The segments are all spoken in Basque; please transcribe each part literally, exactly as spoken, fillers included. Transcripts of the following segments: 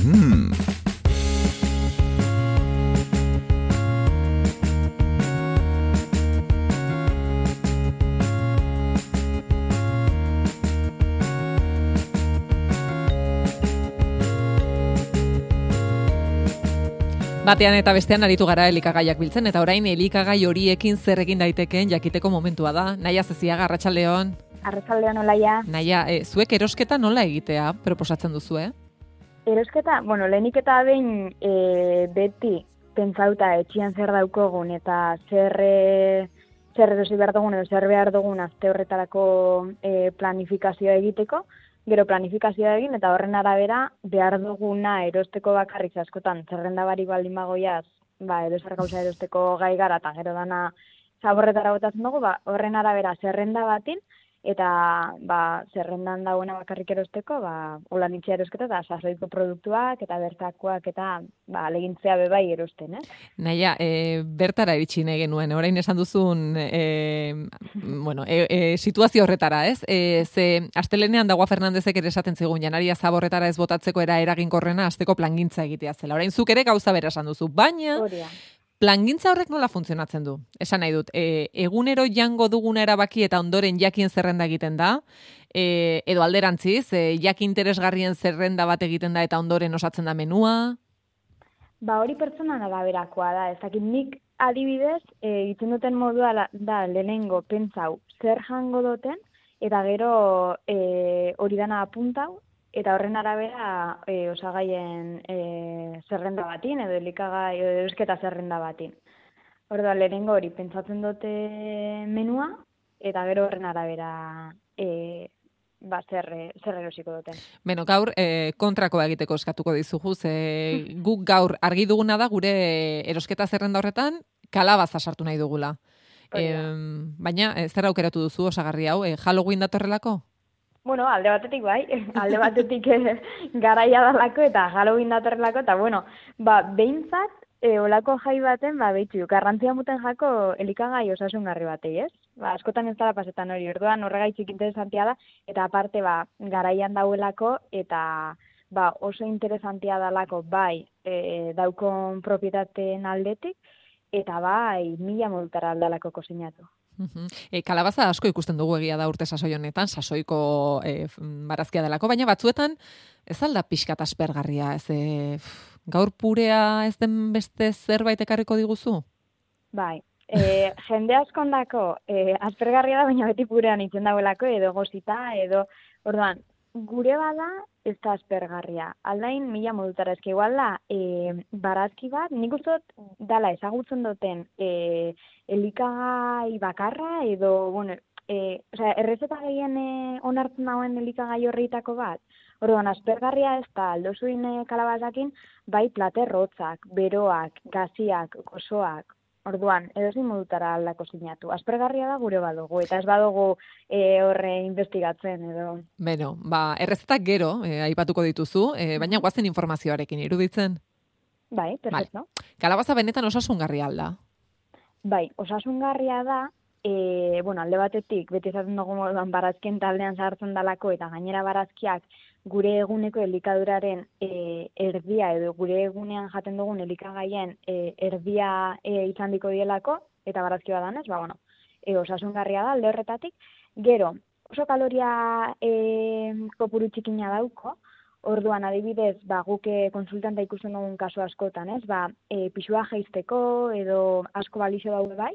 Mmm. Batean eta bestean aritu gara elikagaiak biltzen, eta orain elikagai horiekin zer egin daitekeen jakiteko momentua da. Naia Zeziaga, arratsaldeon. Arratsaldeon, Olaia. Naia, e, zuek erosketa nola egitea proposatzen duzu, eh? Erosketa, bueno, lehenik eta behin e, beti pentsauta etxian zer daukogun eta zer, e, zer erosi behar dugun edo zer behar dugun aste horretarako e, planifikazioa egiteko, gero planifikazioa egin eta horren arabera behar duguna erosteko bakarrik askotan zerrenda barik baldin bagoiaz, ba, edozer gauza erosteko gai gara eta gero dana zaborretara botatzen dugu, ba, horren arabera zerrenda batin, eta ba, zerrendan dagoena bakarrik erosteko, ba, holan itxea erosketa eta sasoiko produktuak eta bertakoak eta ba, alegintzea bebai erosten, eh? Naia, e, bertara iritsi nahi genuen, orain esan duzun e, bueno, e, e, situazio horretara, ez? E, ze astelenean Dagoa Fernandezek ere esaten zigun janaria zaborretara ez botatzeko era eraginkorrena asteko plangintza egitea zela. Orain zuk ere gauza bera esan duzu, baina Horia. plangintza horrek nola funtzionatzen du? Esan nahi dut, e, egunero jango duguna erabaki eta ondoren jakin zerrenda egiten da, e, edo alderantziz, e, jakin interesgarrien zerrenda bat egiten da eta ondoren osatzen da menua? Ba hori pertsonan araberakoa da, ez dakit nik adibidez, e, egiten duten modua la, da lehenengo pentsau zer jango duten, eta gero e, hori dana apuntau, eta horren arabera e, osagaien e, zerrenda batin, edo elikagai, edo erosketa zerrenda batin. Orduan, lehenengo hori pentsatzen dute menua, eta gero horren arabera e, ba, zer, zer erosiko duten. Beno, gaur e, kontrakoa egiteko eskatuko dizugu, ze guk gaur argi duguna da gure erosketa zerrenda horretan kalabaza sartu nahi dugula. E, baina, e, zer aukeratu duzu osagarri hau, e, Halloween datorrelako? Bueno, alde batetik bai, alde batetik eh, garaia dalako eta Halloween datorrelako, eta bueno, ba, behintzat, e, olako jai baten, ba, behitzu, garrantzia muten jako elikagai osasungarri batei, ez? Ba, askotan ez dara pasetan hori, orduan horregaitzik interesantia da, eta aparte, ba, garaian dauelako, eta ba, oso interesantia dalako, bai, e, daukon propietateen aldetik, eta bai, mila modutara aldalako kozinatu. Uh-huh. E, kalabaza asko ikusten dugu egia da urte sasoi honetan, sasoiko e, barazkia delako, baina batzuetan ez alda pixkat aspergarria, ez e, gaur purea ez den beste zerbait ekarriko diguzu? Bai, e, jende askondako e, aspergarria da, baina beti purean itzen dauelako, edo gozita, edo, orduan, gure bada ez da aspergarria. Aldain mila modutara, ezke igual da, e, barazki bat, nik uste dut dala ezagutzen duten e, elikagai bakarra, edo, bueno, e, osea, errezeta gehien e, onartzen dagoen elikagai horreitako bat. Orduan, aspergarria ez da, aldozuin e, kalabazakin, bai platerrotzak, beroak, gaziak, gozoak. Orduan, edozin modutara aldako sinatu. Aspergarria da gure badugu, eta ez badugu e, horre investigatzen, edo. Beno, ba, errezetak gero, e, aipatuko dituzu, e, baina guazen informazioarekin iruditzen. Bai, perfecto. Vale. Kalabaza benetan osasungarria alda? Bai, osasungarria da, e, bueno, alde batetik, beti esaten dugu moduan barazkien taldean sartzen dalako, eta gainera barazkiak gure eguneko elikaduraren e, erdia, edo gure egunean jaten dugun elikagaien e, erdia e, izan diko dielako, eta barazki badanez, ba, bueno, e, osasungarria da alde horretatik. Gero, oso kaloria e, kopuru txikina dauko, orduan adibidez, ba, guke konsultanta ikusten dugun kasu askotan, ez? Ba, e, pixua jeizteko edo asko balixo daude bai,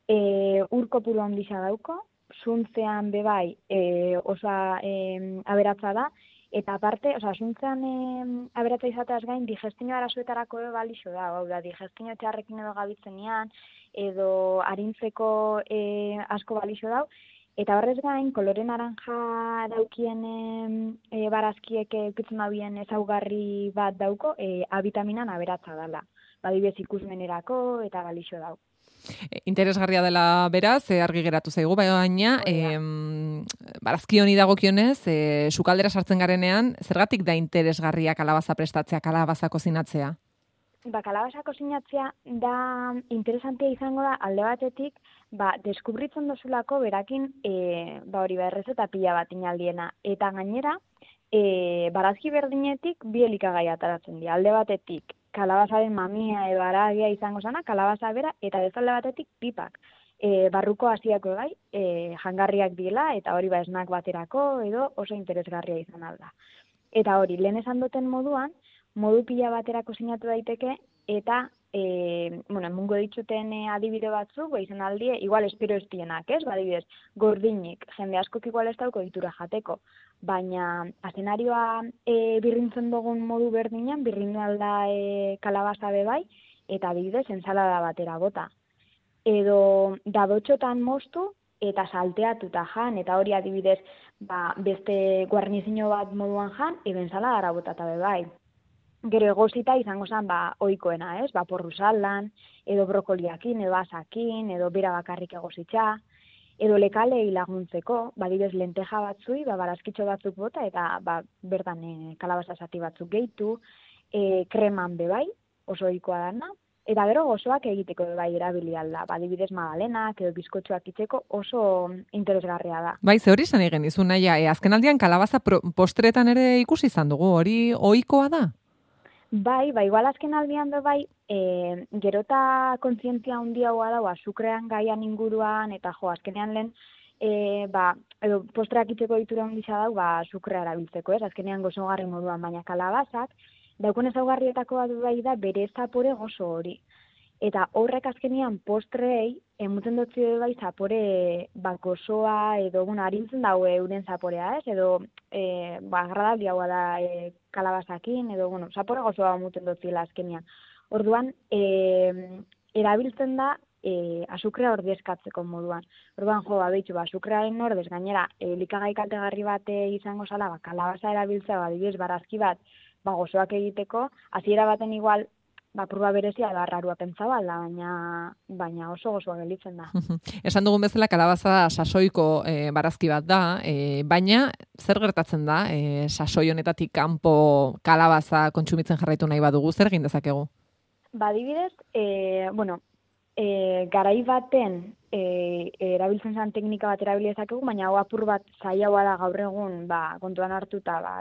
e, ur kopuru handia dauko, zuntzean bebai e, osa e, aberatza da, eta aparte, osa, zuntzean e, aberatza izateaz gain, digestio arazoetarako ere balixo da, hau da, digestio txarrekin edo gabitzenian, edo arintzeko e, asko balixo dau, eta horrez gain, kolore naranja daukien e, barazkiek eukitzen dabien ezaugarri bat dauko, e, abitaminan aberatza dela. Badibez ikusmenerako eta balixo dau. Interesgarria dela beraz, e, argi geratu zaigu, baina e, barazki honi dagokionez, e, sukaldera sartzen garenean, zergatik da interesgarria kalabaza prestatzea, kalabaza kozinatzea? Ba, kalabaza kozinatzea da interesantia izango da alde batetik, ba, deskubritzen dozulako berakin, e, ba hori ba, errezeta pila bat inaldiena. Eta gainera, e, barazki berdinetik bi elikagai ataratzen dira. Alde batetik, kalabazaren mamia edo haragia izango zana, kalabaza bera, eta bezalde batetik pipak. E, barruko hasiako gai, e, jangarriak dira, eta hori ba esnak baterako, edo oso interesgarria izan alda. Eta hori, lehen esan duten moduan, modu pila baterako sinatu daiteke, eta, e, bueno, emungo dituten e, adibide batzuk, ba, izan aldie, igual espero ez dienak, ez? Ba, adibidez, gordinik, jende askok igual ez dauko ditura jateko, baina azenarioa e, birrintzen dugun modu berdinean, birrindu alda e, kalabaza bebai, eta adibidez, ensalada batera bota. Edo dadotxotan moztu, eta salteatuta jan, eta hori adibidez, ba, beste guarnizio bat moduan jan, edo ensaladara botata bebai. Gero egosita izango zen, ba, oikoena, ez? Ba, porru saldan, edo brokoliakin, edo asakin, edo bera bakarrik egositza, edo lekalei laguntzeko, badibez lenteja batzui, ba, barazkitxo batzuk bota, eta ba, bertan e, kalabaza zati batzuk gehitu, e, kreman bebai, oso ohikoa dana, eta gero gozoak egiteko bebai erabili alda, badibidez magdalenak edo bizkotxoak itzeko oso interesgarria da. Bai, ze hori esan egin dizu, naia, e, azken aldian kalabaza pro, postretan ere ikusi izan dugu, hori ohikoa da? Bai, bai, igual azken aldian do bai, e, gerota kontzientzia handiagoa dago azukrean gaian inguruan, eta jo, azkenean lehen, e, ba, edo postreak itzeko ditura handisa dau, ba, azukrea erabiltzeko, ez? Azkenean gozogarri moduan, baina kalabazak, daukun ezaugarrietako bat bai da bere zapore gozo hori. Eta horrek azkenean postrei, emutzen dutzi bai zapore ba, gozoa, edo, bueno, harintzen daue euren zaporea, ez? Edo, e, ba, agradabliagoa da e, kalabazakin, edo, bueno, zapore gozoa emutzen dutzila azkenean. Orduan, e, erabiltzen da e, azukrea ordezkatzeko moduan. Orduan, jo, babitxu, ba, azukrearen ordez, gainera, elikagai kaltegarri bat izango zala, ba, kalabaza erabiltzea, ba, dibidez, barazki bat, ba, gozoak egiteko, hasiera baten igual, ba, prueba berezia da rarua pentsaba, baina, baina oso gozoa gelitzen da. Esan dugun bezala, kalabaza sasoiko e, barazki bat da, e, baina zer gertatzen da, e, sasoi honetatik kanpo kalabaza kontsumitzen jarraitu nahi badugu, zer egin dezakegu? Ba, adibidez, e, bueno, e, garai baten e, erabiltzen zen teknika bat erabili dezakegu, baina hau apur bat zailagoa da gaur egun, ba, kontuan hartuta, ba,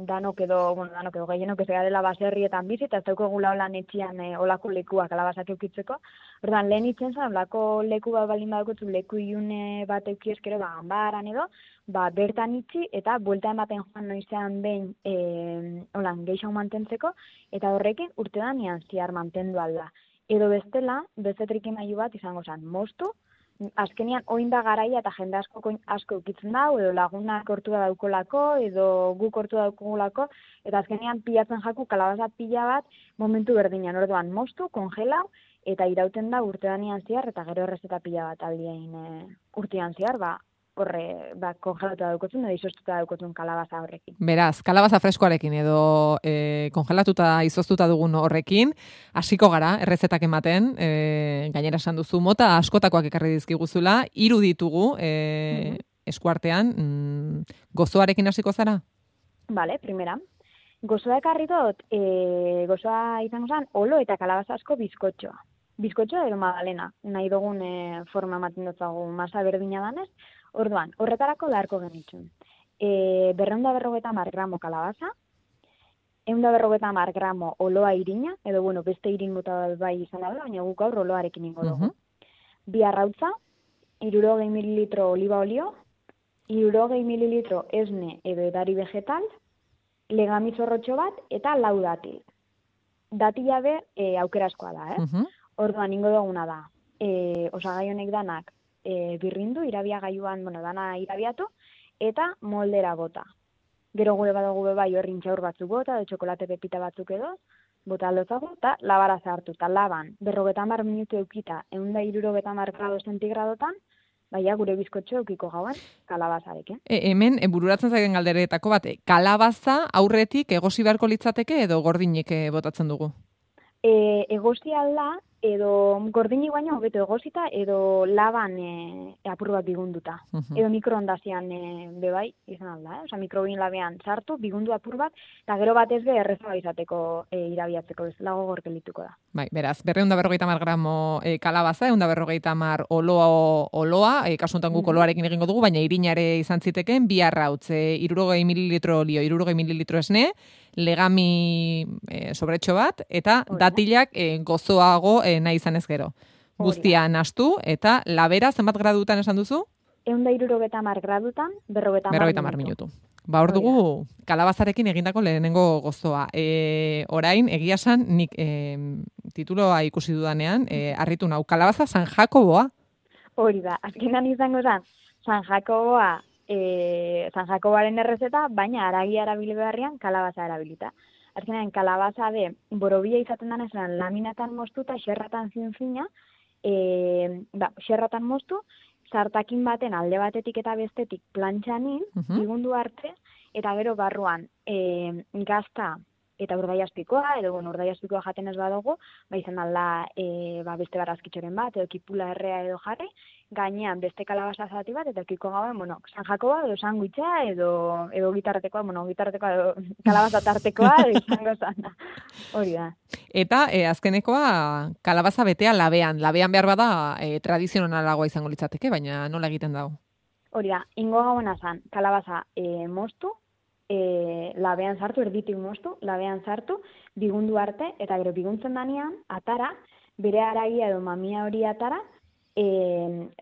danok edo, bueno, danok edo gehienok ez dela baserrietan bizi, eta ez daukagula holan etxian e, olako lekuak kalabazak eukitzeko. Orduan, lehen itzen zen, olako leku bat balin badukotzu, leku ilune bat euki eskero, ba, ganbaran edo, ba, bertan itxi, eta buelta ematen joan noizean behin e, holan geixau mantentzeko, eta horrekin urte danean ziar mantendu alda. Edo bestela, beste trikimailu bat izango zen, moztu, azkenian oin da garaia eta jende asko asko ukitzen dau, edo lagunak hortu da daukolako, edo guk hortu daukugulako, eta azkenian pilatzen jaku kalabaza pila bat momentu berdinean, orduan moztu, kongelau, eta irauten da urte danean ziar, eta gero errezeta pila bat aldien e, urtean ziar, ba, horre, ba, kongelatuta daukotun, edo izoztuta daukotun kalabaza horrekin. Beraz, kalabaza freskoarekin edo e, kongelatuta izoztuta dugun horrekin, hasiko gara, errezetak ematen, e, gainera esan duzu, mota askotakoak ekarri dizkiguzula, hiru ditugu e, mm-hmm. eskuartean, mm, gozoarekin hasiko zara? Bale, primera. Gozoa ekarri dut, e, gozoa izango zen, olo eta kalabaza asko bizkotxoa. Bizkotxoa edo magdalena, nahi dugun e, forma ematen dutzagu masa berdina danez. Orduan, horretarako beharko genitzun. E, berreunda berrogeta mar gramo kalabaza, eunda berrogeta mar gramo oloa irina, edo bueno, beste irin mota bai izan da, baina guk aur oloarekin ingo dugu. Uh-huh. Bi arrautza, hirurogei mililitro oliba olio, hirurogei mililitro esne edo edari vegetal, legami zorrotxo bat, eta lau datil. Datila be, e, aukeraskoa da, eh? Uh-huh. Orduan, ingo duguna da, e, osagai honek danak, E, birrindu, irabia gaiuan, bueno, dana irabiatu, eta moldera bota. Gero gure badugu bai horrin txaur batzuk bota, edo txokolate pepita batzuk edo, bota aldotzago, eta labara zartu, eta laban, berrogetan bar minutu eukita, egun da irurogetan bar grado zentigradotan, baina gure bizkotxo eukiko gauen, kalabazarekin. E, hemen, e, bururatzen zaigen galderetako bat, kalabaza aurretik egosi beharko litzateke edo gordinik e, botatzen dugu? E, egosi alda, edo gordini baino hobeto egosita, edo laban e, apur bat bigunduta. Mhm. Edo mikroondasian e, bebai, izan alda, eh? Osa, mikrobin labean sartu, bigundu apur bat, eta gero batez be errezaba izateko e, irabiatzeko, ez lago gorkelituko da. Bai, beraz, berreun da berrogeita mar gramo e, kalabaza, egun da berrogeita mar oloa, oloa e, kasuntan guk oloarekin egingo dugu, baina irinare izan ziteken, bi arrautz, e, irurogei mililitro olio, irurogei mililitro esne, legami e, sobretxo bat, eta Hori da. datilak e, gozoago e, nahi izan ez gero. Guztia nahastu, eta labera zenbat gradutan esan duzu? Egun da irurogeta mar gradutan, berrogeta mar Berrogeita mar minutu. Ba, hor dugu, kalabazarekin egindako lehenengo gozoa. E, orain, egia esan, nik e, tituloa ikusi dudanean, e, harritu nau, kalabaza San Jakoboa. Hori da, azkenan izango zen, San Jakoboa, e, San Jakoboaren errezeta, baina aragia erabili beharrian kalabaza erabilita. Azkenan, kalabaza de, borobia izaten den esan, laminatan moztu eta xerratan zinzina, e, ba, xerratan moztu, sartakin baten alde batetik eta bestetik plantxanin, Mhm. bigundu arte, eta gero barruan e, gazta eta urdaiazpikoa, edo bueno, urdaiazpikoa jaten ez badugu, ba izan alda e, ba, beste barazkitxoren bat, edo kipula errea edo jarri, gainean beste kalabaza zati bat, eta kiko gauen, bueno, San Jakoba, edo sandwicha, edo, edo gitartekoa, bueno, gitartekoa, edo kalabaza tartekoa, edo izango zana. Hori da. Eta e, azkenekoa kalabaza betea labean. Labean behar bada e, tradizionalagoa izango litzateke, baina nola egiten dago? Hori da, ingo gauena zan, kalabaza e, moztu, e, labean sartu, erditik moztu, labean sartu, bigundu arte, eta gero biguntzen danean, atara, bere aragia edo mamia hori atara, e,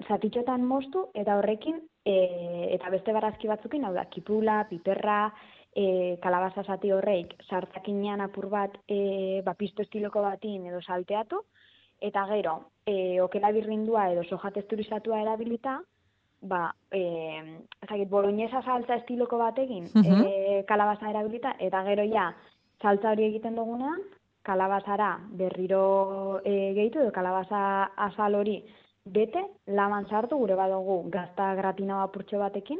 zatitxotan moztu, eta horrekin, e, eta beste barazki batzukin, hau da, kipula, piperra, e, kalabaza zati horreik, sartakinean apur bat, e, ba, pisto estiloko batin edo salteatu, eta gero, e, okela birrindua edo soja texturizatua erabilita, ba, eh, ezagit, boloñesa saltza estiloko batekin, Mhm. eh, kalabaza erabilita, eta gero ja, saltza hori egiten dugunean, kalabazara berriro eh, gehitu, edo kalabaza azal hori bete, laman sartu, gure badugu gazta gratina apurtxo batekin,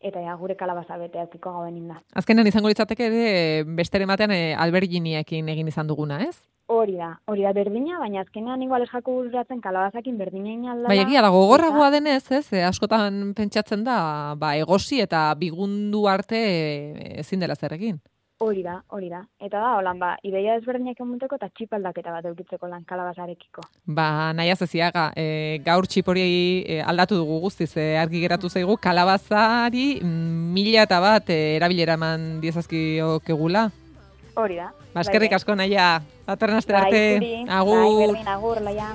eta ja, gure kalabaza bete aukiko gauen inda. Azkenan izango litzateke ere besteren batean e, alberginiekin egin izan duguna, ez? Hori da, hori da berdina, baina azkenean igual ez jako bururatzen kalabazakin berdina inaldala. Bai, egia da, gogorragoa denez, ez? E, askotan pentsatzen da, ba, egosi eta bigundu arte e, ezin dela zer egin. Hori da, hori da. Eta da, holan, ba, ideia ezberdinak emunteko eta txipaldaketa bat eukitzeko lan kalabazarekiko. Ba, nahi azeziaga, e, gaur txipori e, aldatu dugu guztiz, e, argi geratu zaigu, kalabazari mm, mila eta bat e, erabilera eman diezazkiokegula. Hori da. Ba, eskerrik asko, naia, datorren astera arte. Bai, Agur. Bai, berdin, agur, laia.